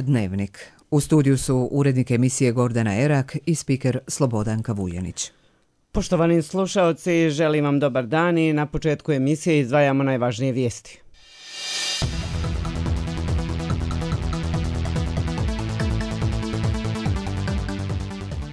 Dnevnik. U studiju su urednik emisije Gordana Erak i spiker Slobodanka Vuljanić. Poštovani slušaoci, želim vam dobar dan i na početku emisije izdvajamo najvažnije vijesti.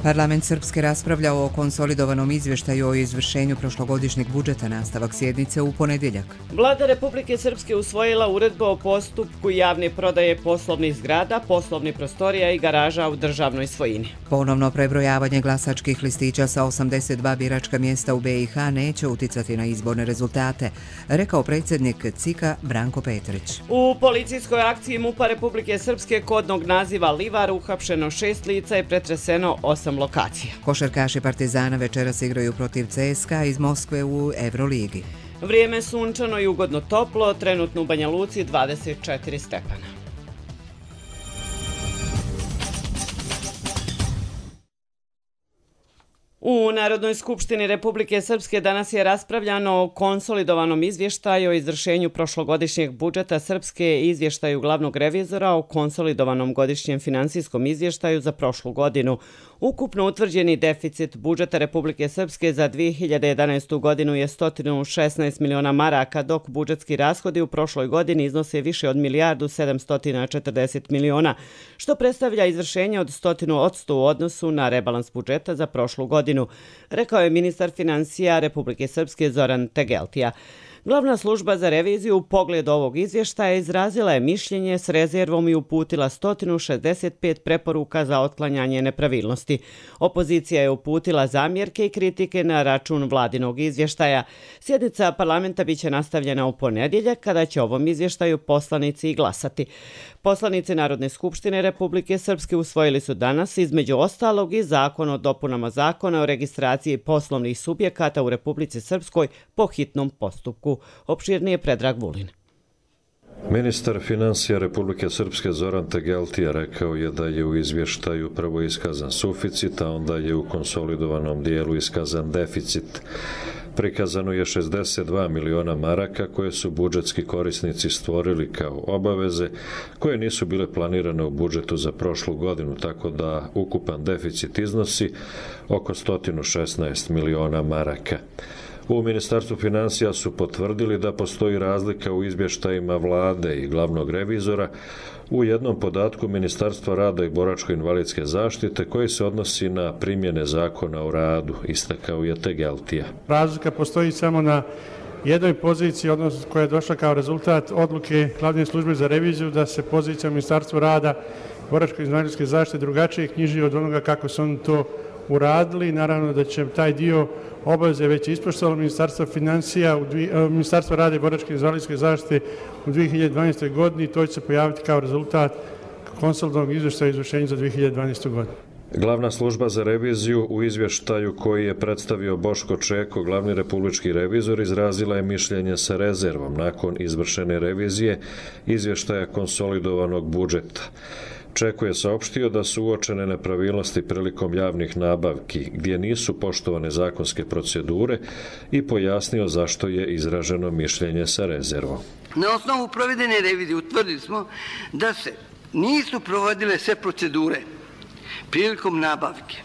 Parlament Srpske raspravlja o konsolidovanom izvještaju o izvršenju prošlogodišnjeg budžeta, nastavak sjednice u ponedjeljak. Vlada Republike Srpske usvojila uredbu o postupku javne prodaje poslovnih zgrada, poslovnih prostorija i garaža u državnoj svojini. Ponovno prebrojavanje glasačkih listića sa 82 biračka mjesta u BiH neće uticati na izborne rezultate, rekao predsjednik CIK-a Branko Petrić. U policijskoj akciji MUP-a Republike Srpske kodnog naziva Livar uhapšeno 6 lica i pretreseno 8 lokacija. Košarkaši Partizana večeras igraju protiv CSKA iz Moskve u Euroligi. Vrijeme sunčano i ugodno toplo, trenutno u Banja Luci 24 stepena. U Narodnoj skupštini Republike Srpske danas je raspravljano o konsolidovanom izvještaju o izvršenju prošlogodišnjeg budžeta Srpske i izvještaju glavnog revizora o konsolidovanom godišnjem finansijskom izvještaju za prošlu godinu. Ukupno utvrđeni deficit budžeta Republike Srpske za 2011. godinu je 116 miliona maraka, dok budžetski rashodi u prošloj godini iznose više od 1.740 miliona, što predstavlja izvršenje od 100% u odnosu na rebalans budžeta za prošlu godinu, rekao je ministar financija Republike Srpske Zoran Tegeltija. Glavna služba za reviziju u pogledu ovog izvještaja izrazila je mišljenje s rezervom i uputila 165 preporuka za otklanjanje nepravilnosti. Opozicija je uputila zamjerke i kritike na račun vladinog izvještaja. Sjednica parlamenta biće nastavljena u ponedjeljak, kada će ovom izvještaju poslanici i glasati. Poslanici Narodne skupštine Republike Srpske usvojili su danas, između ostalog, i zakon o dopunama zakona o registraciji poslovnih subjekata u Republici Srpskoj po hitnom postupku. Opširnije Predrag Vulin. Ministar financija Republike Srpske Zoran Tegeltija rekao je da je u izvještaju prvo iskazan suficit, a onda je u konsolidovanom dijelu iskazan deficit. Prikazano je 62 miliona maraka koje su budžetski korisnici stvorili kao obaveze koje nisu bile planirane u budžetu za prošlu godinu, tako da ukupan deficit iznosi oko 116 miliona maraka. U Ministarstvu financija su potvrdili da postoji razlika u izvještajima vlade i glavnog revizora u jednom podatku Ministarstva rada i boračko-invalidske zaštite koji se odnosi na primjene zakona o radu, istakao je Tegeltija. Razlika postoji samo na jednoj poziciji, odnosno koja je došla kao rezultat odluke glavne službe za reviziju da se pozicija Ministarstva rada i boračko-invalidske zaštite drugačije knjiži od onoga kako su oni to uradili. Naravno da će taj dio obaveze već ispoštovalo Ministarstvo rada i boračko-invalidske zaštite u 2012. godini. To će se pojaviti kao rezultat konsolidovanog izvještaja o izvršenju za 2012. godinu. Glavna služba za reviziju u izvještaju koji je predstavio Boško Čeko, glavni republički revizor, izrazila je mišljenje sa rezervom nakon izvršene revizije izvještaja konsolidovanog budžeta. Čeko je saopštio da su uočene nepravilnosti prilikom javnih nabavki gdje nisu poštovane zakonske procedure i pojasnio zašto je izraženo mišljenje sa rezervom. Na osnovu provedene revizije utvrdili smo da se nisu provodile sve procedure prilikom nabavke,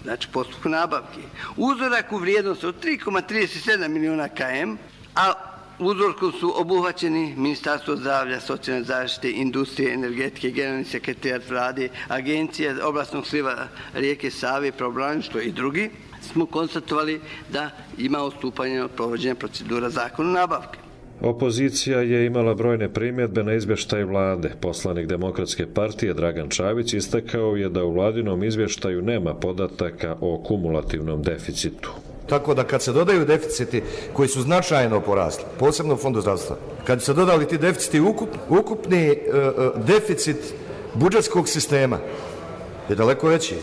znači postupku nabavke. Uzorak u vrijednosti od 3,37 miliona km, a uzorkom su obuhvaćeni Ministarstvo zdravlja, socijalne zaštite, industrije, energetike, generalni sekretarijat vlade, Agencija oblastnog sliva rijeke Save, pravobraništvo i drugi, smo konstatovali da ima odstupanje od provođenja procedura zakona nabavke. Opozicija je imala brojne primjedbe na izvještaj vlade. Poslanik Demokratske partije Dragan Čavić istakao je da u vladinom izvještaju nema podataka o kumulativnom deficitu. Tako da kad se dodaju deficiti koji su značajno porasli, posebno u Fondu zdravstva, kad se dodali ti deficiti, ukupni deficit budžetskog sistema je daleko veći.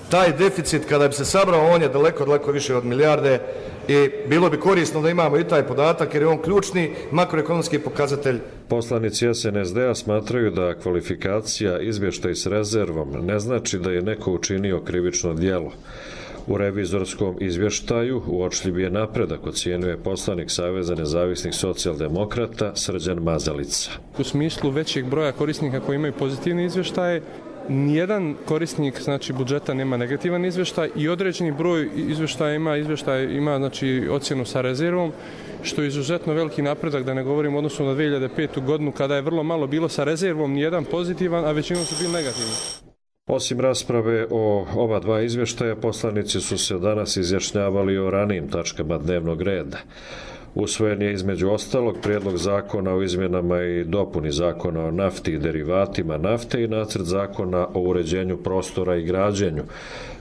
Taj deficit, kada bi se sabrao, on je daleko više od milijarde i bilo bi korisno da imamo i taj podatak jer je on ključni makroekonomski pokazatelj. Poslanici SNSD-a smatraju da kvalifikacija izvještaj s rezervom ne znači da je neko učinio krivično djelo. U revizorskom izvještaju uočljiv je napredak, ocjenjuje poslanik Saveza nezavisnih socijaldemokrata Srđan Mazalica. U smislu većeg broja korisnika koji imaju pozitivne izvještaje, nijedan korisnik budžeta nema negativan izvještaj i određeni broj izvještaja ima ocjenu sa rezervom, što je izuzetno veliki napredak, da ne govorim u odnosu na 2005. godinu kada je vrlo malo bilo sa rezervom, nijedan pozitivan, a većinom su bili negativni. Osim rasprave o ova dva izvještaja, poslanici su se danas izjašnjavali o ranijim tačkama dnevnog reda. Usvojen je između ostalog prijedlog zakona o izmjenama i dopuni zakona o nafti i derivatima nafte i nacrt zakona o uređenju prostora i građenju,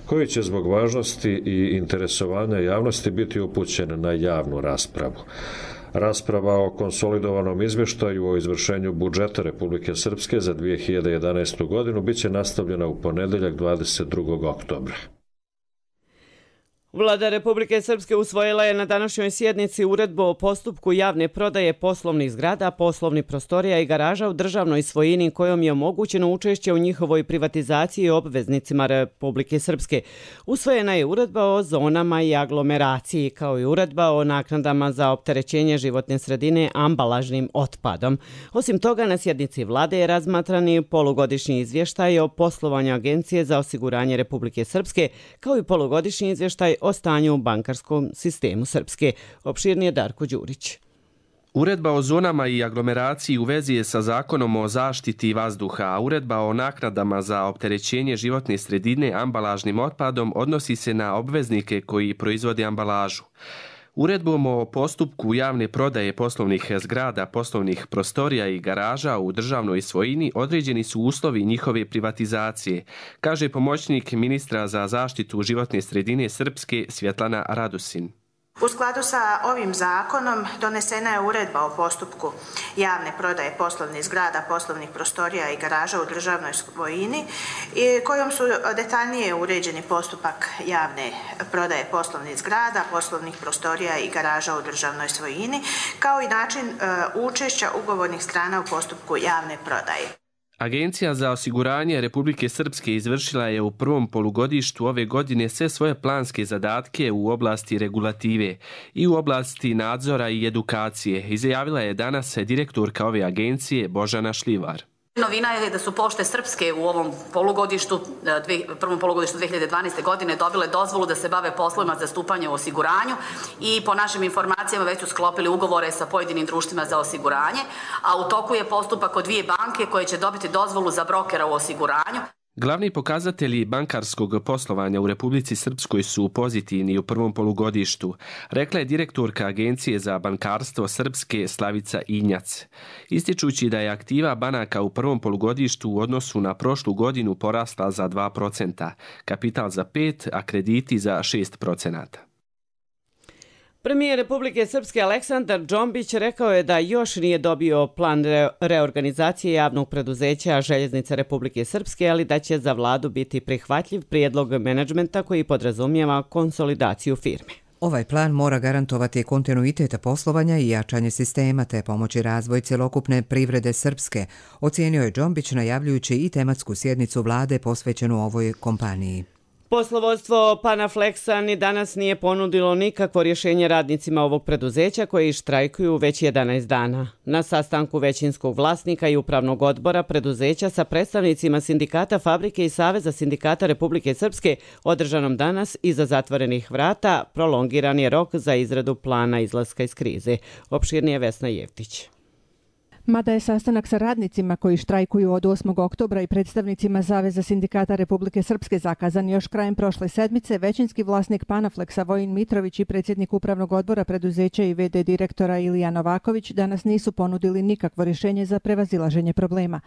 koji će zbog važnosti i interesovanja javnosti biti upućen na javnu raspravu. Rasprava o konsolidovanom izvještaju o izvršenju budžeta Republike Srpske za 2011. godinu biće nastavljena u ponedjeljak 22. oktobra. Vlada Republike Srpske usvojila je na današnjoj sjednici uredbu o postupku javne prodaje poslovnih zgrada, poslovnih prostorija i garaža u državnoj svojini kojom je omogućeno učešće u njihovoj privatizaciji i obveznicima Republike Srpske. Usvojena je uredba o zonama i aglomeraciji, kao i uredba o naknadama za opterećenje životne sredine ambalažnim otpadom. Osim toga, na sjednici vlade je razmatran i polugodišnji izvještaj o poslovanju Agencije za osiguranje Republike Srpske, kao i polugodišnji izvještaj o stanju u bankarskom sistemu Srpske. Opširnije Darko Đurić. Uredba o zonama i aglomeraciji u vezi je sa zakonom o zaštiti vazduha, a uredba o naknadama za opterećenje životne sredine ambalažnim otpadom odnosi se na obveznike koji proizvode ambalažu. Uredbom o postupku javne prodaje poslovnih zgrada, poslovnih prostorija i garaža u državnoj svojini određeni su uslovi njihove privatizacije, kaže pomoćnik ministra za zaštitu životne sredine Srpske Svjetlana Radusin. U skladu sa ovim zakonom donesena je uredba o postupku javne prodaje poslovnih zgrada, poslovnih prostorija i garaža u državnoj svojini kojom su detaljnije uređeni postupak javne prodaje poslovnih zgrada, poslovnih prostorija i garaža u državnoj svojini, kao i način učešća ugovornih strana u postupku javne prodaje. Agencija za osiguranje Republike Srpske izvršila je u prvom polugodištu ove godine sve svoje planske zadatke u oblasti regulative i u oblasti nadzora i edukacije, izjavila je danas direktorka ove agencije Božana Šljivar. Novina je da su Pošte Srpske u ovom prvom polugodištu 2012. godine dobile dozvolu da se bave poslovima zastupanja u osiguranju i po našim informacijama već su sklopili ugovore sa pojedinim društvima za osiguranje, a u toku je postupak od 2 banke koje će dobiti dozvolu za brokera u osiguranju. Glavni pokazatelji bankarskog poslovanja u Republici Srpskoj su pozitivni u prvom polugodištu, rekla je direktorka Agencije za bankarstvo Srpske Slavica Injac, ističući da je aktiva banaka u prvom polugodištu u odnosu na prošlu godinu porasla za 2%, kapital za 5%, a krediti za 6%. Premijer Republike Srpske Aleksandar Džombić rekao je da još nije dobio plan reorganizacije javnog preduzeća Željeznice Republike Srpske, ali da će za vladu biti prihvatljiv prijedlog menadžmenta koji podrazumijeva konsolidaciju firme. Ovaj plan mora garantovati kontinuitet poslovanja i jačanje sistema te pomoći razvoj cjelokupne privrede Srpske, ocijenio je Džombić najavljujući i tematsku sjednicu vlade posvećenu ovoj kompaniji. Poslovodstvo Panaflexa ni danas nije ponudilo nikakvo rješenje radnicima ovog preduzeća koji štrajkuju već 11 dana. Na sastanku većinskog vlasnika i upravnog odbora preduzeća sa predstavnicima sindikata fabrike i Saveza sindikata Republike Srpske održanom danas iza zatvorenih vrata prolongiran je rok za izradu plana izlaska iz krize. Opširnije Vesna Jevtić. Mada je sastanak sa radnicima koji štrajkuju od 8. oktobra i predstavnicima Saveza sindikata Republike Srpske zakazan još krajem prošle sedmice, većinski vlasnik Panaflexa Vojin Mitrović i predsjednik upravnog odbora preduzeća i VD direktora Ilija Novaković danas nisu ponudili nikakvo rješenje za prevazilaženje problema.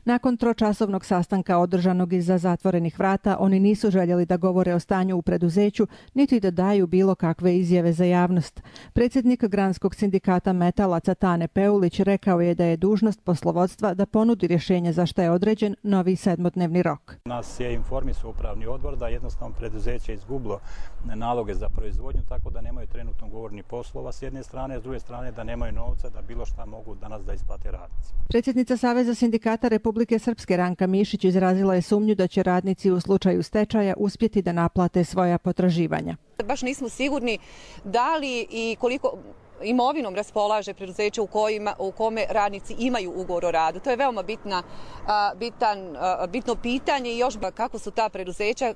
Nakon tročasovnog sastanka održanog iza zatvorenih vrata, oni nisu željeli da govore o stanju u preduzeću, niti da daju bilo kakve izjave za javnost. Predsjednik Granskog sindikata metalaca Tane Peulić rekao je da je je dužnost poslovodstva da ponudi rješenje za što je određen novi 7-dnevni rok. Nas je informisao upravni odbor da jednostavno preduzeće izgubilo naloge za proizvodnju, tako da nemaju trenutno ugovornih poslova s jedne strane, s druge strane da nemaju novca da bilo šta mogu danas da isplate radnici. Predsjednica Saveza sindikata Republike Srpske Ranka Mišić izrazila je sumnju da će radnici u slučaju stečaja uspjeti da naplate svoja potraživanja. Baš nismo sigurni da li i koliko imovinom raspolaže preduzeće u kome radnici imaju ugovor o radu. To je veoma bitno pitanje i još kako su ta preduzeća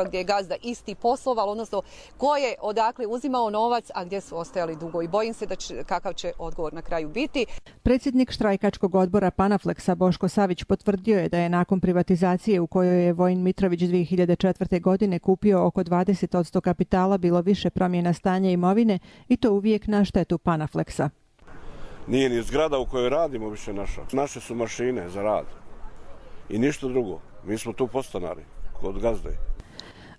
gdje je gazda isti posloval, odnosno ko je odakle uzimao novac, a gdje su ostajali dugo. I bojim se kakav će odgovor na kraju biti. Predsjednik štrajkačkog odbora Panaflexa Boško Savić potvrdio je da je nakon privatizacije u kojoj je Vojin Mitrović 2004. godine kupio oko 20% kapitala bilo više promjena stanja imovine i to uvijek na štetu Panaflexa. Nije ni zgrada u kojoj radimo više naša. Naše su mašine za rad i ništa drugo. Mi smo tu podstanari kod gazde.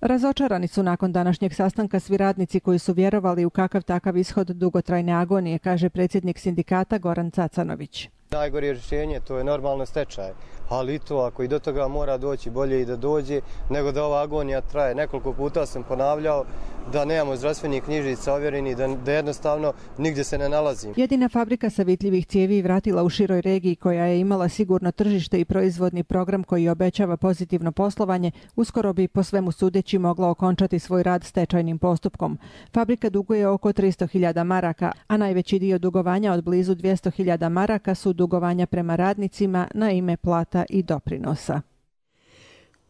Razočarani su nakon današnjeg sastanka svi radnici koji su vjerovali u kakav takav ishod dugotrajne agonije, kaže predsjednik sindikata Goran Cacanović. Najgore rješenje to je normalno stečaj, ali i to ako i do toga mora doći bolje i da dođe nego da ova agonija traje. Nekoliko puta sam ponavljao da nemamo zdravstvenih knjižica ovjerenih, da jednostavno nigdje se ne nalazi. Jedina fabrika savitljivih cijevi vratila u široj regiji koja je imala sigurno tržište i proizvodni program koji obećava pozitivno poslovanje, uskoro bi po svemu sudeći mogla okončati svoj rad stečajnim postupkom. Fabrika duguje oko 300.000 maraka, a najveći dio dugovanja od blizu 200.000 maraka su dugovanja prema radnicima na ime plata i doprinosa.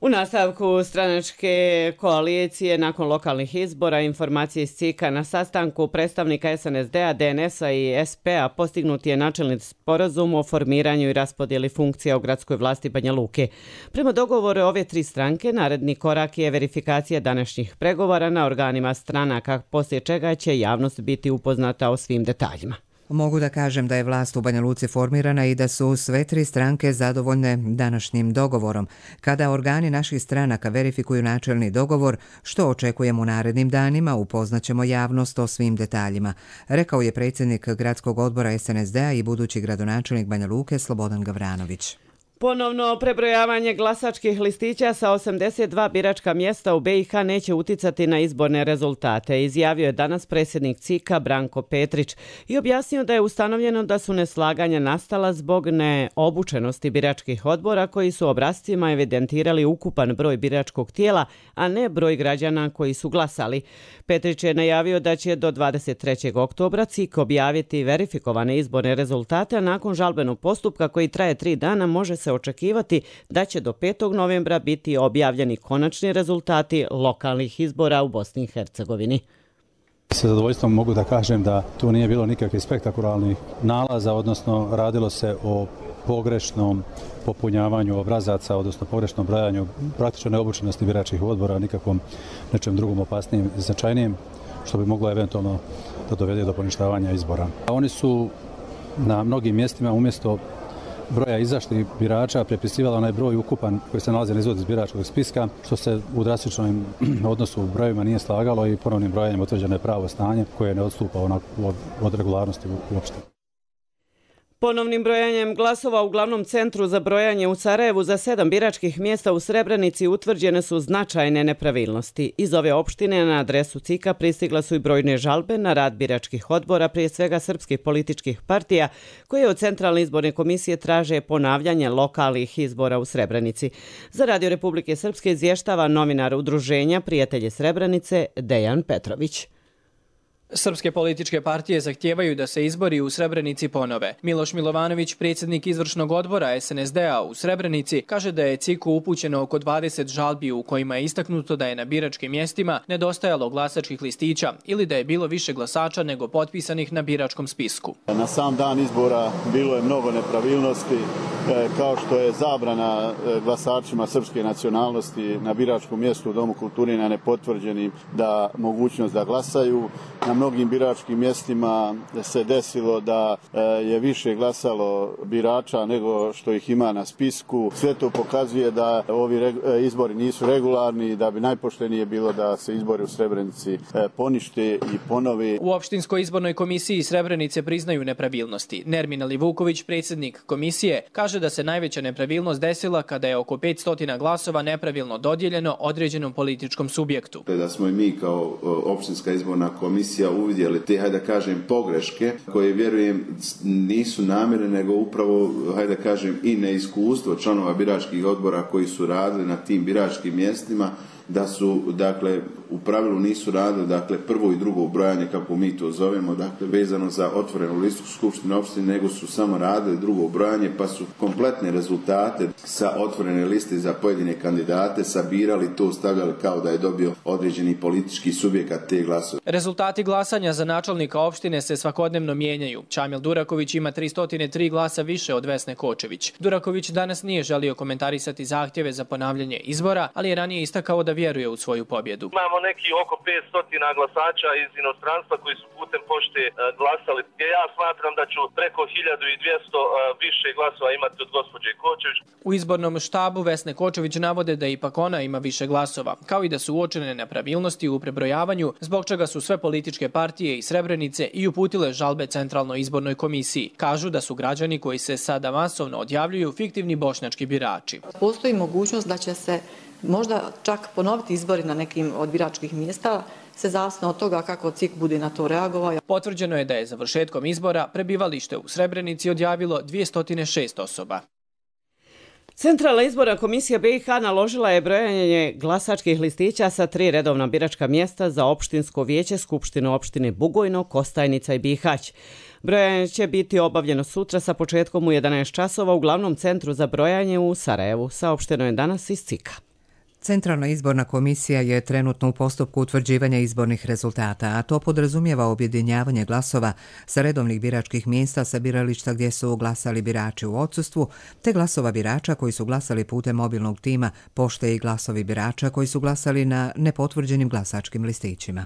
U nastavku stranačke koalicije nakon lokalnih izbora informacije iz CIK-a na sastanku predstavnika SNSD-a, DNS-a i SP-a postignut je načelni sporazum o formiranju i raspodjeli funkcija u gradskoj vlasti Banja Luke. Prema dogovoru ove tri stranke, naredni korak je verifikacija današnjih pregovora na organima stranaka, poslije čega će javnost biti upoznata o svim detaljima. Mogu da kažem da je vlast u Banja Luci formirana i da su sve tri stranke zadovoljne današnjim dogovorom. Kada organi naših stranaka verifikuju načelni dogovor, što očekujemo u narednim danima, upoznaćemo javnost o svim detaljima, rekao je predsjednik gradskog odbora SNSD-a i budući gradonačelnik Banja Luke Slobodan Gavranović. Ponovno prebrojavanje glasačkih listića sa 82 biračka mjesta u BiH neće uticati na izborne rezultate, izjavio je danas predsjednik CIK-a Branko Petrić i objasnio da je ustanovljeno da su neslaganja nastala zbog neobučenosti biračkih odbora koji su obrascima evidentirali ukupan broj biračkog tijela, a ne broj građana koji su glasali. Petrić je najavio da će do 23. oktobra CIK objaviti verifikovane izborne rezultate, a nakon žalbenog postupka koji traje 3 dana može se očekivati da će do 5. novembra biti objavljeni konačni rezultati lokalnih izbora u Bosni i Hercegovini. Sa zadovoljstvom mogu da kažem da tu nije bilo nikakvih spektakularnih nalaza, odnosno radilo se o pogrešnom popunjavanju obrazaca, odnosno pogrešnom brojanju praktično neobučenosti biračkih odbora, nikakvom nečem drugom opasnijem i značajnijem, što bi moglo eventualno da dovede do poništavanja izbora. Oni su na mnogim mjestima umjesto broja izašlih birača prepisivali onaj broj ukupan koji se nalazi na izvodu iz biračkog spiska, što se u drastičnom odnosu u brojevima nije slagalo i ponovnim brojanjem utvrđeno je pravo stanje koje ne odstupa od regularnosti uopšte. Ponovnim brojanjem glasova u glavnom centru za brojanje u Sarajevu za 7 biračkih mjesta u Srebrenici utvrđene su značajne nepravilnosti. Iz ove opštine na adresu CIK-a pristigla su i brojne žalbe na rad biračkih odbora, prije svega srpskih političkih partija, koje od Centralne izborne komisije traže ponavljanje lokalnih izbora u Srebrenici. Za Radio Republike Srpske izvještava novinar udruženja Prijatelje Srebrenice Dejan Petrović. Srpske političke partije zahtijevaju da se izbori u Srebrenici ponove. Miloš Milovanović, predsjednik izvršnog odbora SNSD-a u Srebrenici, kaže da je CIK-u upućeno oko 20 žalbi u kojima je istaknuto da je na biračkim mjestima nedostajalo glasačkih listića ili da je bilo više glasača nego potpisanih na biračkom spisku. Na sam dan izbora bilo je mnogo nepravilnosti, kao što je zabrana glasačima srpske nacionalnosti na biračkom mjestu u Domu kulture na nepotvrđenim da mogućnost da glasaju. Na mnogim biračkim mjestima se desilo da je više glasalo birača nego što ih ima na spisku. Sve to pokazuje da ovi izbori nisu regularni i da bi najpoštenije bilo da se izbori u Srebrenici ponište i ponove. U opštinskoj izbornoj komisiji Srebrenice priznaju nepravilnosti. Nermin Vuković, predsjednik komisije, kaže da se najveća nepravilnost desila kada je oko 500 glasova nepravilno dodijeljeno određenom političkom subjektu. Da smo i mi kao opštinska izborna komisija uvidjeli te, hajde da kažem, pogreške koje, vjerujem, nisu namjerne, nego upravo, hajde da kažem, i neiskustvo članova biračkih odbora koji su radili na tim biračkim mjestima, da su, dakle, u pravilu nisu radili, dakle, prvo i drugo brojanje, kako mi to zovemo, dakle, vezano za otvorenu listu Skupštine opštine, nego su samo radili drugo brojanje, pa su kompletne rezultate sa otvorene liste za pojedine kandidate sabirali, to stavljali kao da je dobio određeni politički subjekat te glasove. Rezultati glasanja za načelnika opštine se svakodnevno mijenjaju. Čamil Duraković ima 303 glasa više od Vesne Kočević. Duraković danas nije želio komentarisati zahtjeve za ponavljanje izbora, ali je ranije istakao da vjeruje u svoju pobjedu. Imamo neki oko 500 glasača iz inostranstva koji su putem pošte glasali. Ja smatram da ću preko 1200 više glasova imati od gospođe Kočević. U izbornom štabu Vesne Kočević navode da ipak ona ima više glasova, kao i da su uočene nepravilnosti u prebrojavanju, zbog čega su sve političke partije iz Srebrenice i uputile žalbe Centralnoj izbornoj komisiji. Kažu da su građani koji se sada masovno odjavljuju fiktivni bošnjački birači. Postoji mogućnost da će se možda čak ponoviti izbori na nekim od biračkih mjesta, se zavisno od toga kako CIK bude na to reagovao. Potvrđeno je da je završetkom izbora prebivalište u Srebrenici odjavilo 206 osoba. Centralna izborna komisija BiH naložila je brojanje glasačkih listića sa 3 redovna biračka mjesta za opštinsko vijeće Skupštine opštine Bugojno, Kostajnica i Bihać. Brojanje će biti obavljeno sutra sa početkom u 11 časova u glavnom centru za brojanje u Sarajevu, saopšteno je danas iz CIK-a. Centralna izborna komisija je trenutno u postupku utvrđivanja izbornih rezultata, a to podrazumijeva objedinjavanje glasova sa redovnih biračkih mjesta sa birališta gdje su glasali birači u odsustvu, te glasova birača koji su glasali putem mobilnog tima pošte i glasovi birača koji su glasali na nepotvrđenim glasačkim listićima.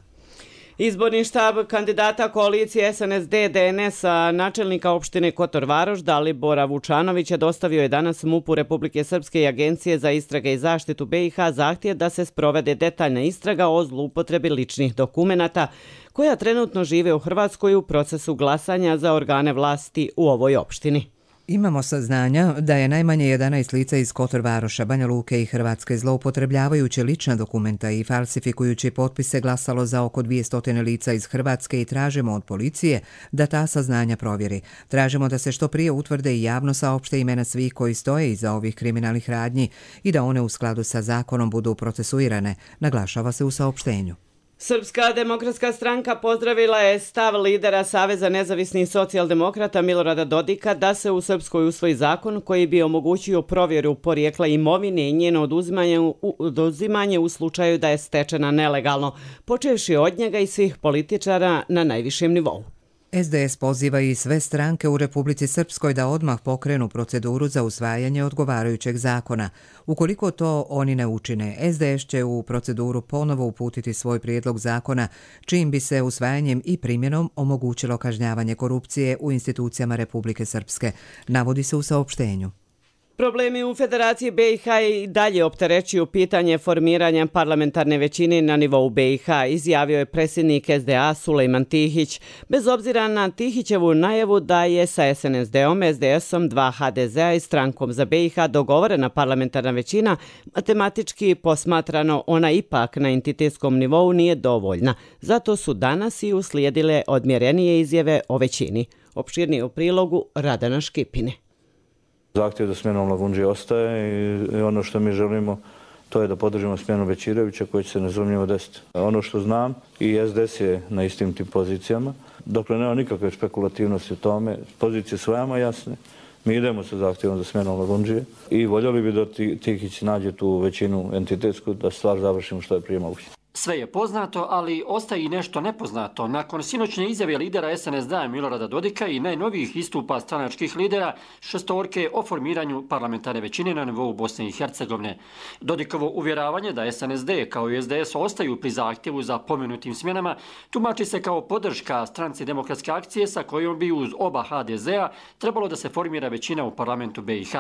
Izborni štab kandidata koalicije SNSD-DNS-a načelnika opštine Kotor Varoš Dalibora Vučanovića dostavio je danas MUP-u Republike Srpske i Agencije za istrage i zaštitu BiH zahtjev da se sprovede detaljna istraga o zloupotrebi ličnih dokumenata koja trenutno žive u Hrvatskoj u procesu glasanja za organe vlasti u ovoj opštini. Imamo saznanja da je najmanje 11 lica iz Kotor Varoša, Banja Luke i Hrvatske zloupotrebljavajući lična dokumenta i falsifikujući potpise glasalo za oko 200 lica iz Hrvatske i tražimo od policije da ta saznanja provjeri. Tražimo da se što prije utvrde i javno saopšte imena svih koji stoje iza ovih kriminalnih radnji i da one u skladu sa zakonom budu procesuirane, naglašava se u saopštenju. Srpska demokratska stranka pozdravila je stav lidera Saveza nezavisnih socijaldemokrata Milorada Dodika da se u Srpskoj usvoji zakon koji bi omogućio provjeru porijekla imovine i njeno oduzimanje u slučaju da je stečena nelegalno, počevši od njega i svih političara na najvišem nivou. SDS poziva i sve stranke u Republici Srpskoj da odmah pokrenu proceduru za usvajanje odgovarajućeg zakona. Ukoliko to oni ne učine, SDS će u proceduru ponovo uputiti svoj prijedlog zakona, čijim bi se usvajanjem i primjenom omogućilo kažnjavanje korupcije u institucijama Republike Srpske, navodi se u saopštenju. Problemi u Federaciji BiH i dalje opterećuju pitanje formiranja parlamentarne većine na nivou BiH, izjavio je predsjednik SDA Sulejman Tihić. Bez obzira na Tihićevu najavu da je sa SNSD-om, SDS-om, 2 HDZ-a i strankom za BiH dogovorena parlamentarna većina, matematički posmatrano ona ipak na entitetskom nivou nije dovoljna. Zato su danas i uslijedile odmjerenije izjave o većini. Opširnije u prilogu Radana Škipine. Zahtjev za smjenom Lagundžije ostaje i ono što mi želimo to je da podržimo smjenu Bećirevića koji će se nezumnjivo desiti. Ono što znam i SDS je na istim tim pozicijama. Dokle nema nikakve špekulativnosti u tome, pozicije su veoma jasne. Mi idemo sa zahtjevom za smjenom Lagundžije i voljeli bi da Tihić nađe tu većinu entitetsku da stvar završimo što je prije moguće. Sve je poznato, ali ostaje i nešto nepoznato. Nakon sinoćne izjave lidera SNSD-a Milorada Dodika i najnovijih istupa stranačkih lidera, šestorke o formiranju parlamentarne većine na nivou Bosne i Hercegovine. Dodikovo uvjeravanje da SNSD kao i SDS ostaju pri zahtjevu za pomenutim smjenama tumači se kao podrška Stranci demokratske akcije sa kojom bi uz oba HDZ-a trebalo da se formira većina u parlamentu BiH.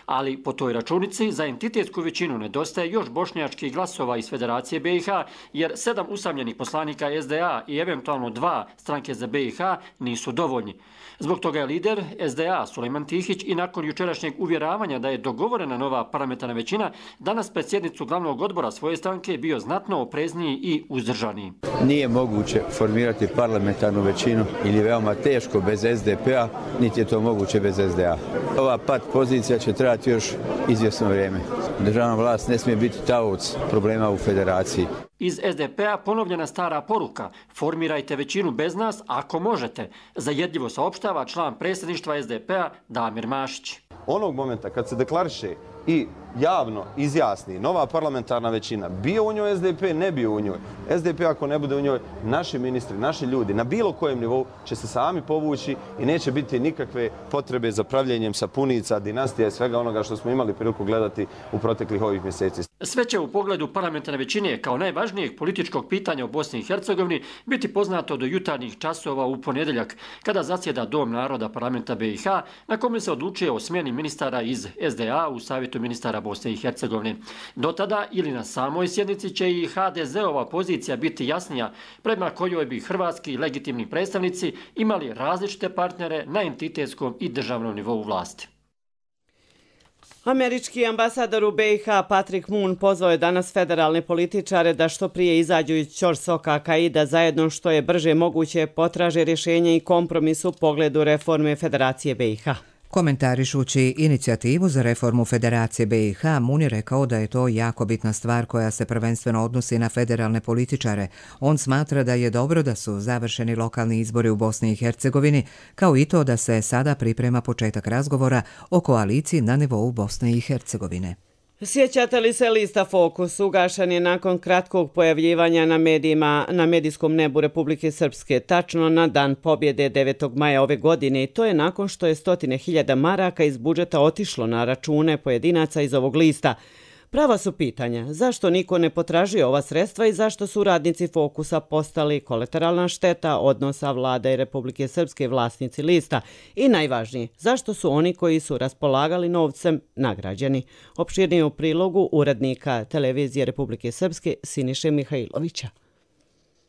Ali po toj računici za entitetsku većinu nedostaje još bošnjačkih glasova iz Federacije BiH, jer 7 usamljenih poslanika SDA i eventualno 2 stranke za BiH nisu dovoljni. Zbog toga je lider SDA Sulejman Tihić i nakon jučerašnjeg uvjeravanja da je dogovorena nova parlamentarna većina danas pred sjednicu glavnog odbora svoje stranke bio znatno oprezniji i uzdržaniji. Nije moguće formirati parlamentarnu većinu ili veoma teško bez SDP-a, niti je to moguće bez SDA. Ova pat pozicija će trajati još izvjesno vrijeme. Državna vlast ne smije biti taoc problema u federaciji. Iz SDP-a ponovljena stara poruka: formirajte većinu bez nas ako možete, zajedljivo saopštava član predsjedništva SDP-a Damir Mašić. Onog momenta kad se deklariše i javno izjasni nova parlamentarna većina, bio u njoj SDP, ne bio u njoj. SDP ako ne bude u njoj, naši ministri, naši ljudi na bilo kojem nivou će se sami povući i neće biti nikakve potrebe za pravljenjem sapunica, dinastija i svega onoga što smo imali priliku gledati u proteklih ovih mjeseci. Sve će u pogledu parlamentarne većine kao najvažnijeg političkog pitanja u Bosni i Hercegovini biti poznato do jutarnjih časova u ponedjeljak, kada zasjeda Dom naroda parlamenta BiH, na kome se odlučuje o smjeni ministara iz SDA u Savjetu ministara Bosne i Hercegovine. Do tada ili na samoj sjednici će i HDZ-ova pozicija biti jasnija, prema kojoj bi hrvatski legitimni predstavnici imali različite partnere na entitetskom i državnom nivou vlasti. Američki ambasador u BiH Patrick Moon pozvao je danas federalne političare da što prije izađu iz ćorsoka i da zajedno što je brže moguće potraže rješenje i kompromis u pogledu reforme Federacije BiH. Komentarišući inicijativu za reformu Federacije BiH, Moon je rekao da je to jako bitna stvar koja se prvenstveno odnosi na federalne političare. On smatra da je dobro da su završeni lokalni izbori u Bosni i Hercegovini, kao i to da se sada priprema početak razgovora o koaliciji na nivou Bosne i Hercegovine. Sjećate li se lista Fokus? Ugašen je nakon kratkog pojavljivanja na medijskom nebu Republike Srpske, tačno na dan pobjede 9. maja ove godine, i to je nakon što je 100.000 maraka iz budžeta otišlo na račune pojedinaca iz ovog lista. Prava su pitanja, zašto niko ne potražuje ova sredstva i zašto su radnici Fokusa postali kolateralna šteta odnosa vlade i Republike Srpske vlasnici lista? I najvažnije, zašto su oni koji su raspolagali novcem nagrađeni? Opširnije u prilogu urednika televizije Republike Srpske Siniše Mihajlovića.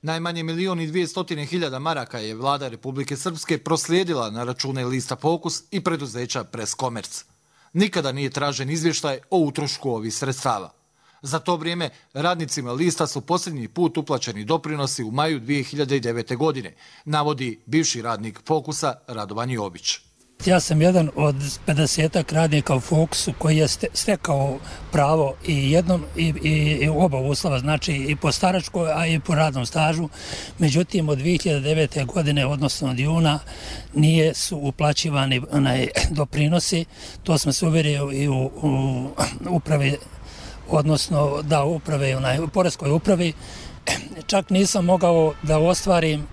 Najmanje 1.200.000 maraka je vlada Republike Srpske proslijedila na račune lista Fokus i preduzeća Press Commerce. Nikada nije tražen izvještaj o utrošku ovih sredstava. Za to vrijeme radnicima lista su posljednji put uplaćeni doprinosi u maju 2009. godine, navodi bivši radnik Fokusa Radovan Jović. Ja sam jedan od 50 radnika u Fokusu koji je stekao pravo i oba uslova, znači i po staračkoj, a i po radnom stažu. Međutim, od 2009. godine, odnosno od juna, nije su uplaćivani doprinosi. To smo se uvjerili i u upravi, odnosno da uprave, u poreskoj upravi. Čak nisam mogao da ostvarim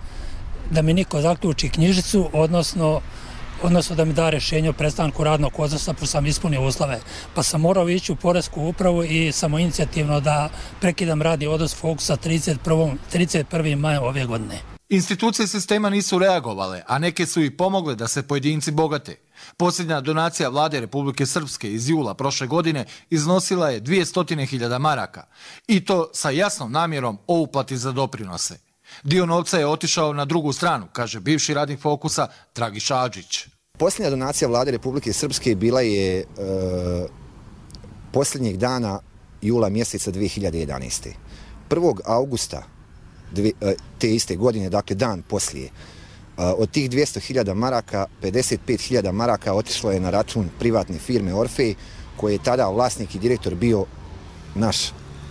da mi niko zaključi knjižicu, odnosno da mi da rješenje o prestanku radnog odnosa, pa sam ispunio uslove. Pa sam morao ići u poresku upravu i samoinicijativno da prekidam radni odnos Fokusa 31. maja ove godine. Institucije sistema nisu reagovale, a neke su i pomogle da se pojedinci bogate. Posljednja donacija vlade Republike Srpske iz jula prošle godine iznosila je 200.000 maraka. I to sa jasnom namjerom o uplati za doprinose. Dio novca je otišao na drugu stranu, kaže bivši radnik Fokusa Dragiša Adžić. Posljednja donacija vlade Republike Srpske bila je posljednjeg dana jula mjeseca 2011. 1. augusta te iste godine, dakle dan poslije, od tih 200.000 maraka, 55.000 maraka otišlo je na račun privatne firme Orfej, koji je tada vlasnik i direktor bio naš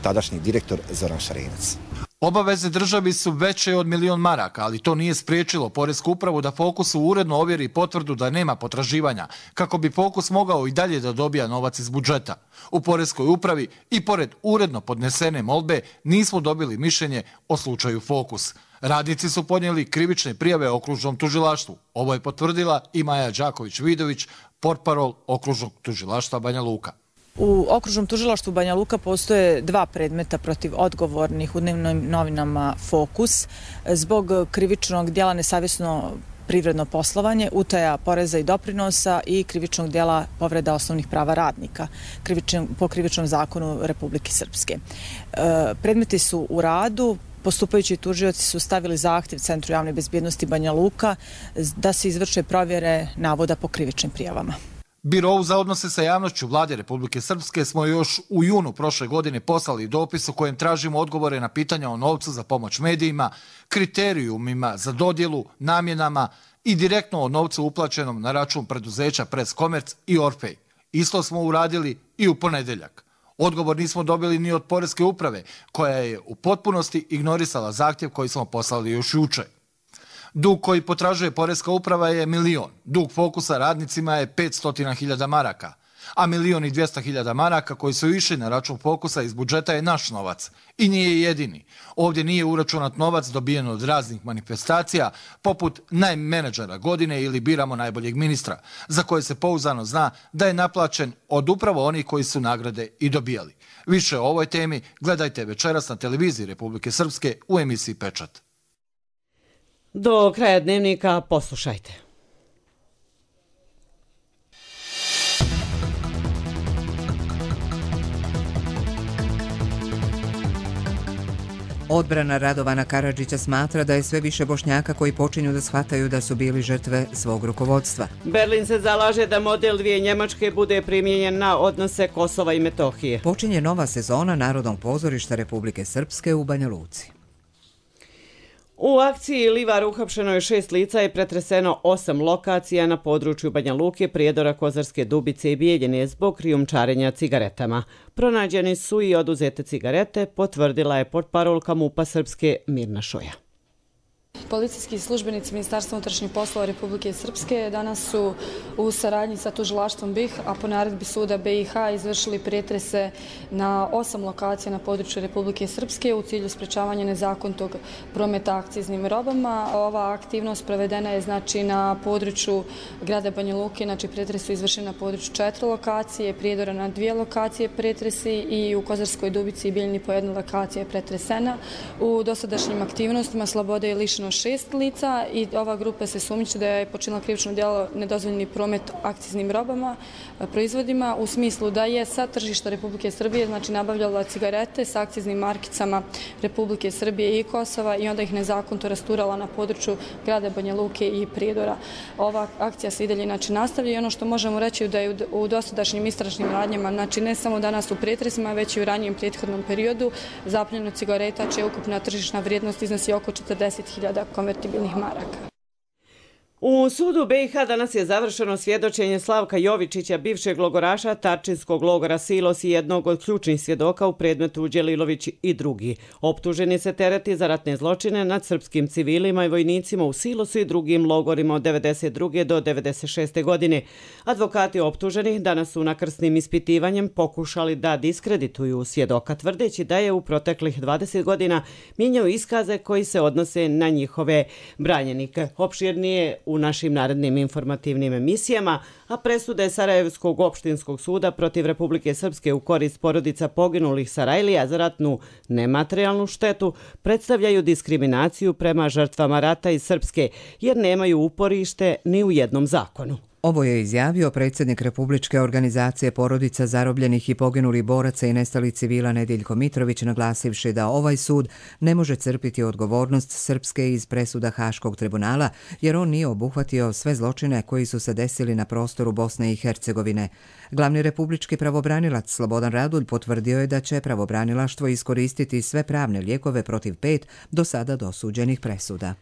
tadašnji direktor Zoran Šarenac. Obaveze državi su veće od 1.000.000 maraka, ali to nije spriječilo Poresku upravu da Fokusu uredno ovjeri potvrdu da nema potraživanja, kako bi Fokus mogao i dalje da dobija novac iz budžeta. U Poreskoj upravi i pored uredno podnesene molbe nismo dobili mišljenje o slučaju Fokus. Radnici su podnijeli krivične prijave okružnom tužilaštvu. Ovo je potvrdila i Maja Đaković-Vidović, portparol okružnog tužilaštva Banja Luka. U okružnom tužilaštvu Banja Luka postoje 2 predmeta protiv odgovornih u dnevnim novinama Fokus zbog krivičnog djela nesavjesno privredno poslovanje, utaja poreza i doprinosa i krivičnog djela povreda osnovnih prava radnika po krivičnom zakonu Republike Srpske. Predmeti su u radu. Postupajući tužioci su stavili zahtjev Centru javne bezbjednosti Banja Luka da se izvrše provjere navoda po krivičnim prijavama. Birovu za odnose sa javnošću Vlade Republike Srpske smo još u junu prošle godine poslali dopis u kojem tražimo odgovore na pitanja o novcu za pomoć medijima, kriterijumima za dodjelu, namjenama i direktno o novcu uplaćenom na račun preduzeća Press Commerce i Orfej. Isto smo uradili i u ponedeljak. Odgovor nismo dobili ni od Poreske uprave, koja je u potpunosti ignorisala zahtjev koji smo poslali još juče. Dug koji potražuje Poreska uprava je 1.000.000. Dug Fokusa radnicima je 500.000 maraka. A 1.200.000 maraka koji su išli na račun Fokusa iz budžeta je naš novac. I nije jedini. Ovdje nije uračunat novac dobijen od raznih manifestacija, poput najmenadžera godine ili biramo najboljeg ministra, za koje se pouzdano zna da je naplaćen od upravo onih koji su nagrade i dobijali. Više o ovoj temi gledajte večeras na televiziji Republike Srpske u emisiji Pečat. Do kraja dnevnika poslušajte. Odbrana Radovana Karadžića smatra da je sve više Bošnjaka koji počinju da shvataju da su bili žrtve svog rukovodstva. Berlin se zalaže da model 2 Njemačke bude primijenjen na odnose Kosova i Metohije. Počinje nova sezona Narodnog pozorišta Republike Srpske u Banja Luci. U akciji Livar uhapšeno je 6 lica i pretreseno 8 lokacija na području Banja Luke, Prijedora, Kozarske Dubice i Bijeljine zbog krijumčarenja cigaretama. Pronađeni su i oduzete cigarete, potvrdila je portparolka MUP-a Srpske Mirna Šoja. Policijski službenici Ministarstva unutrašnjih poslova Republike Srpske danas su u saradnji sa tužilaštvom BiH, a po naredbi suda BiH izvršili pretrese na 8 lokacija na području Republike Srpske u cilju sprečavanja nezakonitog prometa akciznim robama. Ova aktivnost provedena je na području grada Banja Luke, pretresi su izvršeni na području 4 lokacije, Prijedora na 2 lokacije pretresi i u Kozarskoj Dubici i Bijeljini po 1 lokacija je pretresena. U dosadašnjim aktivnostima slobode je lišeno 6 lica i ova grupa se sumnjiči da je počinila krivično djelo nedozvoljeni promet akciznim robama, proizvodima, u smislu da je sa tržišta Republike Srbije nabavljala cigarete sa akciznim markicama Republike Srbije i Kosova i onda ih nezakonito rasturala na području grada Banja Luke i Prijedora. Ova akcija se i dalje nastavlja i ono što možemo reći da je u dosadašnjim istražnim radnjama, ne samo danas u pretresima, već i u ranijem prethodnom periodu, zapljenjeno cigareta čija ukupna tržišna vrijednost iznosi oko 40.000 konvertibilnih maraka. U sudu BiH danas je završeno svjedočenje Slavka Jovičića, bivšeg logoraša Tarčinskog logora Silos i jednog od ključnih svjedoka u predmetu Đelilović i drugi. Optuženi se tereti za ratne zločine nad srpskim civilima i vojnicima u Silosu i drugim logorima od 1992. do 1996. godine. Advokati optuženih danas su nakrsnim ispitivanjem pokušali da diskredituju svjedoka, tvrdeći da je u proteklih 20 godina mijenjao iskaze koji se odnose na njihove branjenike. Opširnije u našim narednim informativnim emisijama, a presude Sarajevskog opštinskog suda protiv Republike Srpske u korist porodica poginulih Sarajlija za ratnu nematerijalnu štetu predstavljaju diskriminaciju prema žrtvama rata iz Srpske, jer nemaju uporište ni u jednom zakonu. Ovo je izjavio predsjednik Republičke organizacije porodica zarobljenih i poginulih boraca i nestalih civila Nediljko Mitrović, naglasivši da ovaj sud ne može crpiti odgovornost Srpske iz presuda Haškog tribunala, jer on nije obuhvatio sve zločine koji su se desili na prostoru Bosne i Hercegovine. Glavni republički pravobranilac Slobodan Radulj potvrdio je da će pravobranilaštvo iskoristiti sve pravne lijekove protiv 5 do sada dosuđenih presuda.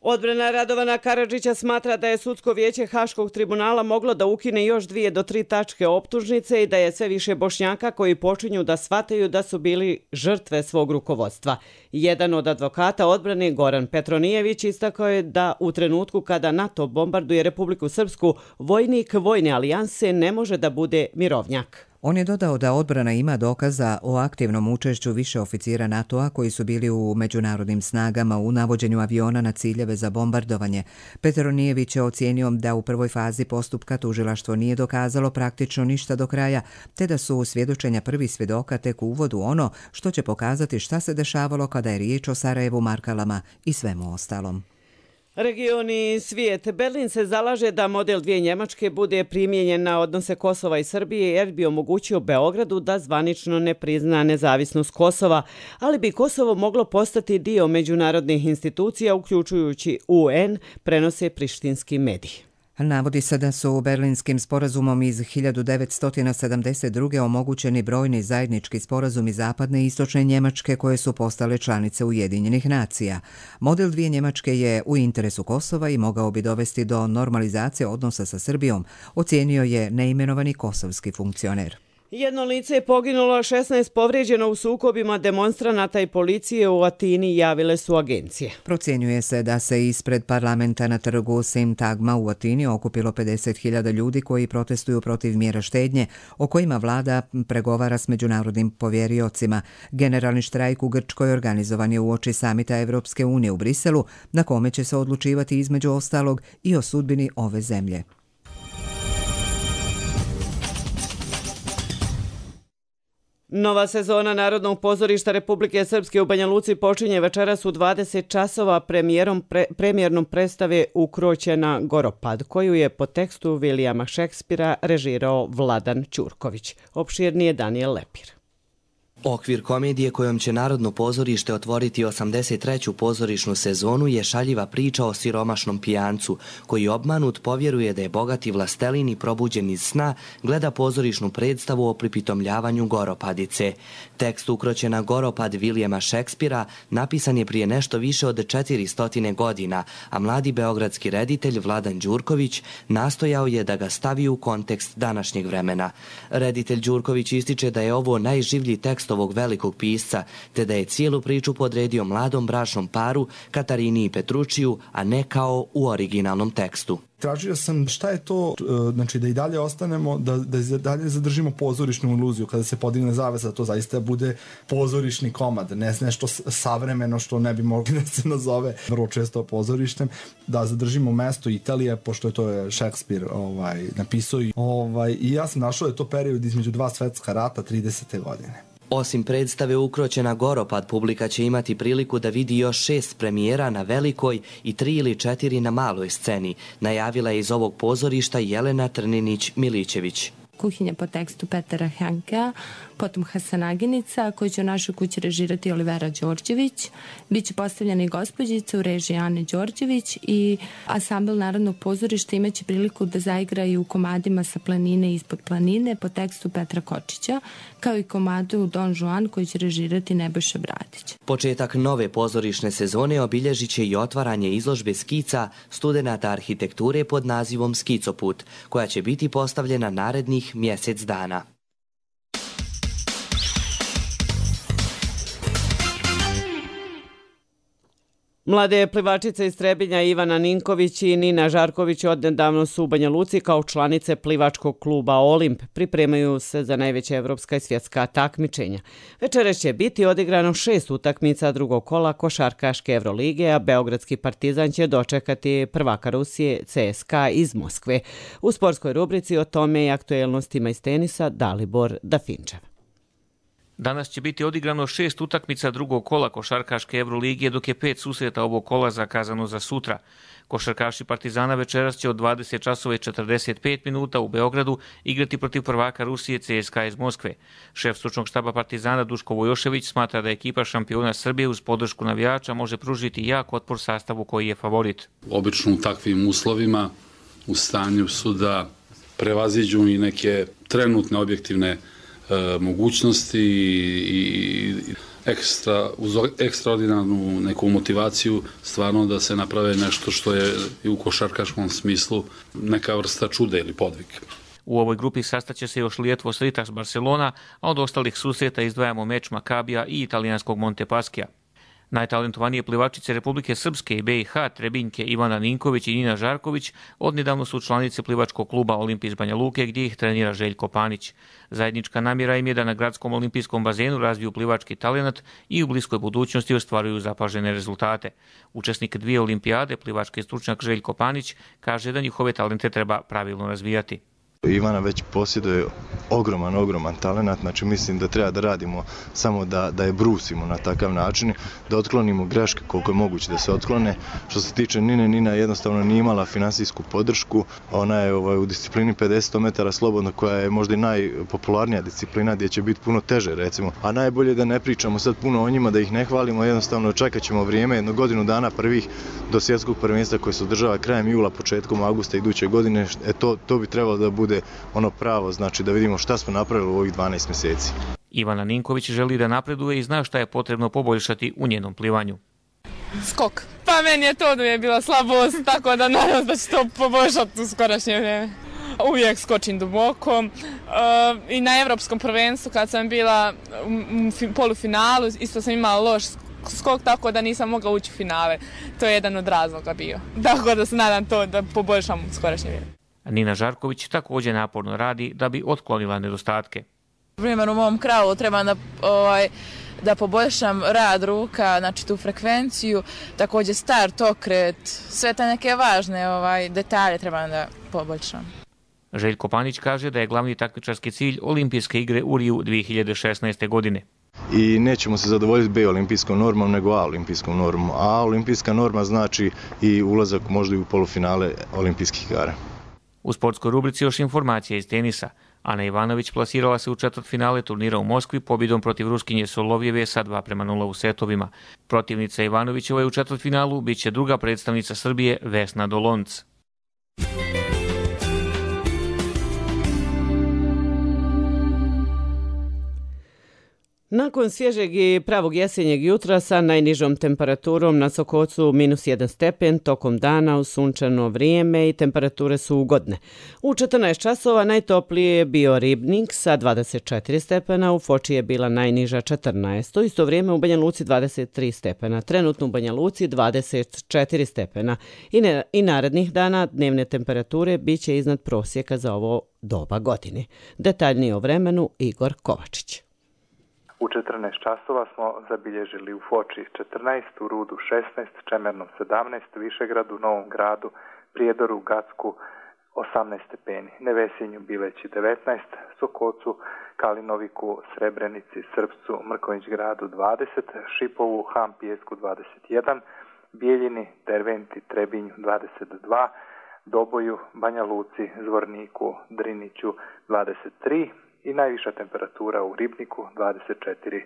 Odbrana Radovana Karadžića smatra da je sudsko vijeće Haškog tribunala moglo da ukine još 2 do 3 tačke optužnice i da je sve više Bošnjaka koji počinju da shvataju da su bili žrtve svog rukovodstva. Jedan od advokata odbrane, Goran Petronijević, istakao je da u trenutku kada NATO bombarduje Republiku Srpsku, vojnik vojne alijanse ne može da bude mirovnjak. On je dodao da odbrana ima dokaza o aktivnom učešću više oficira NATO-a koji su bili u međunarodnim snagama u navođenju aviona na ciljeve za bombardovanje. Petronijević je ocijenio da u prvoj fazi postupka tužilaštvo nije dokazalo praktično ništa do kraja, te da su svjedočenja prvih svjedoka tek u uvodu ono što će pokazati šta se dešavalo kada je riječ o Sarajevu, Markalama i svemu ostalom. Regioni svijet. Berlin se zalaže da model 2 Njemačke bude primijenjen na odnose Kosova i Srbije jer bi omogućio Beogradu da zvanično ne prizna nezavisnost Kosova, ali bi Kosovo moglo postati dio međunarodnih institucija uključujući UN, prenose prištinski mediji. Navodi se da su Berlinskim sporazumom iz 1972. omogućeni brojni zajednički sporazumi zapadne i istočne Njemačke koje su postale članice Ujedinjenih nacija. Model 2 Njemačke je u interesu Kosova i mogao bi dovesti do normalizacije odnosa sa Srbijom, ocijenio je neimenovani kosovski funkcioner. Jedno lice je poginulo, 16 povrijeđeno u sukobima demonstranata i policije u Atini, javile su agencije. Procjenjuje se da se ispred parlamenta na trgu Sintagma u Atini okupilo 50.000 ljudi koji protestuju protiv mjera štednje o kojima vlada pregovara s međunarodnim povjeriocima. Generalni štrajk u Grčkoj organizovan je uoči samita Evropske unije u Briselu, na kome će se odlučivati između ostalog i o sudbini ove zemlje. Nova sezona Narodnog pozorišta Republike Srpske u Banja Luci počinje večeras u 20 časova premijernom predstave Ukroćena Goropad, koju je po tekstu Vilijama Šekspira režirao Vladan Ćurković. Opširnije Daniel Lepir. Okvir komedije kojom će Narodno pozorište otvoriti 83. pozorišnu sezonu je šaljiva priča o siromašnom pijancu, koji obmanut povjeruje da je bogati vlastelin i probuđen iz sna gleda pozorišnu predstavu o pripitomljavanju Goropadice. Tekst Ukroćena Goropad Vilijama Šekspira napisan je prije nešto više od 400 godina, a mladi beogradski reditelj Vladan Ćurković nastojao je da ga stavi u kontekst današnjeg vremena. Reditelj Ćurković ističe da je ovo najživlji tekst ovog velikog pisca, te da je cijelu priču podredio mladom bračnom paru Katarini i Petručiju, a ne kao u originalnom tekstu. Tražio sam šta je to, znači da i dalje ostanemo, da i dalje zadržimo pozorišnu iluziju, kada se podigne zavesa, da to zaista bude pozorišni komad, ne nešto savremeno što ne bi mogli da se nazove vrlo često pozorištem, da zadržimo mesto Italije, pošto je to Šekspir napisao. I ja sam našao da je to period između 2 svetska rata, 30. godine. Osim predstave Ukroćena Goropad, publika će imati priliku da vidi još 6 premijera na velikoj i 3 ili 4 na maloj sceni, najavila je iz ovog pozorišta Jelena Trninić-Milićević. Kuhinja po tekstu Petera Hankea, potom Hasanaginica, koju će u našoj kući režirati Olivera Đorđević. Biće postavljena i Gospođica u režiji Ane Đorđević i ansambl Narodnog pozorišta imaće priliku da zaigra i u komadima Sa planine i Ispod planine po tekstu Petra Kočića, kao i komadu Don Juan koji će režirati Nebojša Bradić. Početak nove pozorišne sezone obilježit će i otvaranje izložbe skica studenata arhitekture pod nazivom Skicoput, koja će biti postavljena narednih mjesec dana. Mlade plivačice iz Trebinja Ivana Ninković i Nina Žarković odnedavno su u Banja Luci kao članice plivačkog kluba Olimp. Pripremaju se za najveća evropska i svjetska takmičenja. Večeras će biti odigrano 6 utakmica drugog kola košarkaške Evrolige, a Beogradski Partizan će dočekati prvaka Rusije CSKA iz Moskve. U sportskoj rubrici o tome i aktuelnostima iz tenisa Dalibor Dafinčev. Danas će biti odigrano 6 utakmica drugog kola košarkaške Evroligije, dok je 5 susreta ovog kola zakazano za sutra. Košarkaši Partizana večeras će od 20 časova i 45 minuta u Beogradu igrati protiv prvaka Rusije CSKA iz Moskve. Šef stručnog štaba Partizana Duško Vojošević smatra da ekipa šampiona Srbije uz podršku navijača može pružiti jak otpor sastavu koji je favorit. Obično u takvim uslovima u stanju su da prevaziđu i neke trenutne objektivne mogućnosti i uz ekstraordinarnu neku motivaciju stvarno da se naprave nešto što je i u košarkaškom smislu neka vrsta čuda ili podvig. U ovoj grupi sastaće se još Lietuvos Rytas Barcelona, a od ostalih susreta izdvajamo meč Makabija i italijanskog Montepaskija. Najtalentovanije plivačice Republike Srpske i BiH, Trebinjke Ivana Ninković i Nina Žarković, odnedavno su članice plivačkog kluba Olimpijs Banja Luke, gdje ih trenira Željko Panić. Zajednička namjera im je da na gradskom olimpijskom bazenu razviju plivački talenat i u bliskoj budućnosti ostvaruju zapažene rezultate. Učesnik 2 olimpijade, plivački stručnjak Željko Panić, kaže da njihove talente treba pravilno razvijati. Ivana već posjeduje ogroman talenat, znači mislim da treba da radimo samo da je brusimo na takav način, da otklonimo greške koliko je moguće da se otklone. Što se tiče Nine, Nina jednostavno nije imala finansijsku podršku, ona je u disciplini 50 metara slobodno, koja je možda i najpopularnija disciplina, gdje će biti puno teže recimo. A najbolje da ne pričamo sad puno o njima, da ih ne hvalimo, jednostavno čekat ćemo vrijeme, jedno godinu dana prvih do svjetskog prvenstva koje se održava krajem jula, početkom augusta iduće godine, to bi trebalo da bude ono pravo, znači da vidimo šta smo napravili u ovih 12 mjeseci. Ivana Ninković želi da napreduje i zna šta je potrebno poboljšati u njenom plivanju. Skok. Pa meni je to da je bila slabost, tako da nadam da će to poboljšati u skorašnje vrijeme. Uvijek skočim duboko i na evropskom prvenstvu kad sam bila u polufinalu isto sam imala loš skok, tako da nisam mogla ući u finale. To je jedan od razloga bio. Tako da se nadam to da poboljšam u skorašnje vrijeme. Nina Žarković također naporno radi da bi otklonila nedostatke. Primjer, u mom kravu trebam da poboljšam rad ruka, znači tu frekvenciju, također start, okret, sve te neke važne detalje trebam da poboljšam. Željko Panić kaže da je glavni takmičarski cilj Olimpijske igre u Riju 2016. godine. I nećemo se zadovoljiti B olimpijskom normom, nego A olimpijskom normom. A olimpijska norma znači i ulazak možda i u polufinale olimpijskih igara. U sportskoj rubrici još informacija iz tenisa. Ana Ivanović plasirala se u četvrtfinale turnira u Moskvi pobjedom protiv Ruskinje Solovjeve sa 2:0 u setovima. Protivnica Ivanovićeva u četvrtfinalu bit će druga predstavnica Srbije Vesna Dolonc. Nakon svježeg i pravog jesenjeg jutra sa najnižom temperaturom na Sokocu -1 stepen, tokom dana u sunčano vrijeme i temperature su ugodne. U 14 časova najtoplije je bio Ribnik sa 24 stepena, u Foči je bila najniža 14, isto vrijeme u Banja Luci 23 stepena, trenutno u Banja Luci 24 stepena i narednih dana dnevne temperature bit će iznad prosjeka za ovo doba godine. Detaljnije o vremenu Igor Kovačić. U 14 časova smo zabilježili u Foči 14, u Rudu 16, Čemernom 17, Višegradu, Novom Gradu, Prijedoru, Gacku 18 stepeni, Nevesinju, Bileći 19, Sokocu, Kalinoviku, Srebrenici, Srpcu, Mrkonjić Gradu 20, Šipovu, Ham Pijesku 21, Bijeljini, Derventi, Trebinju 22, Doboju, Banja Luci, Zvorniku, Driniću 23, i najviša temperatura u Ribniku 24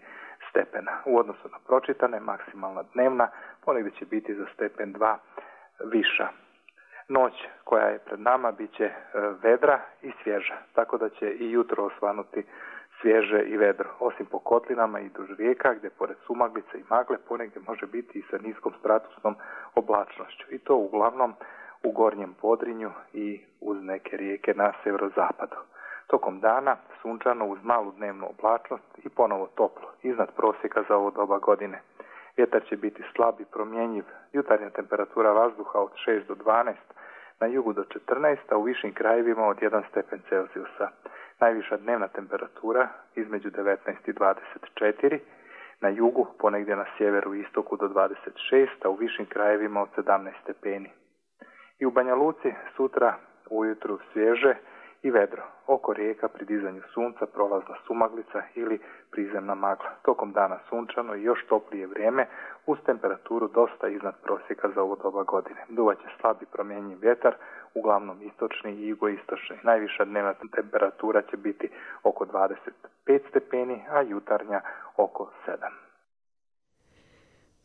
stepena. U odnosu na pročitane, maksimalna dnevna ponegdje će biti za stepen 2 viša. Noć koja je pred nama bit će vedra i svježa, tako da će i jutro osvanuti svježe i vedro, osim po kotlinama i duž rijeka, gdje pored sumaglice i magle ponegdje može biti i sa niskom stratusnom oblačnošću. I to uglavnom u gornjem Podrinju i uz neke rijeke na severozapadu. Tokom dana sunčano uz malu dnevnu oblačnost i ponovo toplo, iznad prosjeka za ovo doba godine. Vjetar će biti slab i promjenjiv, jutarnja temperatura vazduha od 6 do 12, na jugu do 14, a u višim krajevima od 1 stepen Celzijusa. Najviša dnevna temperatura između 19 i 24, na jugu ponegdje na sjeveru i istoku do 26, a u višim krajevima od 17 stepeni. I u Banja Luci sutra ujutru svježe i vedro. Oko rijeka pri dizanju sunca prolazna sumaglica ili prizemna magla. Tokom dana sunčano i još toplije vrijeme uz temperaturu dosta iznad prosjeka za ovo doba godine. Duvaće slab i promjenjiv vjetar, uglavnom istočni i jugoistočni. Najviša dnevna temperatura će biti oko 25 stepeni, a jutarnja oko 7.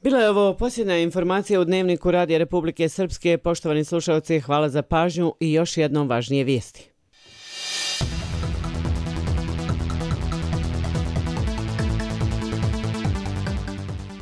Bila je ovo posljednja informacija u Dnevniku Radija Republike Srpske. Poštovani slušalci, hvala za pažnju i još jednom važnije vijesti.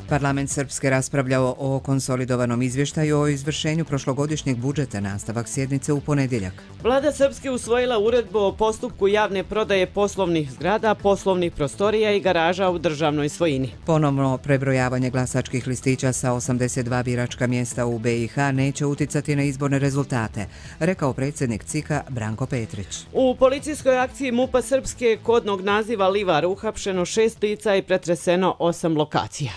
Parlament Srpske raspravljao o konsolidovanom izvještaju o izvršenju prošlogodišnjeg budžeta, nastavak sjednice u ponedjeljak. Vlada Srpske usvojila uredbu o postupku javne prodaje poslovnih zgrada, poslovnih prostorija i garaža u državnoj svojini. Ponovno prebrojavanje glasačkih listića sa 82 biračka mjesta u BiH neće uticati na izborne rezultate, rekao predsjednik CIK-a Branko Petrić. U policijskoj akciji MUP-a Srpske kodnog naziva Livar uhapšeno 6 lica i pretreseno 8 lokacija.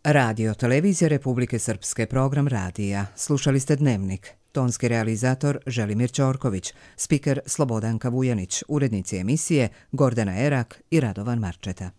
Radio Televizija Republike Srpske, program radija. Slušali ste Dnevnik. Tonski realizator Želimir Ćorković, spiker Slobodanka Vujanić, urednici emisije Gordana Erak i Radovan Marčeta.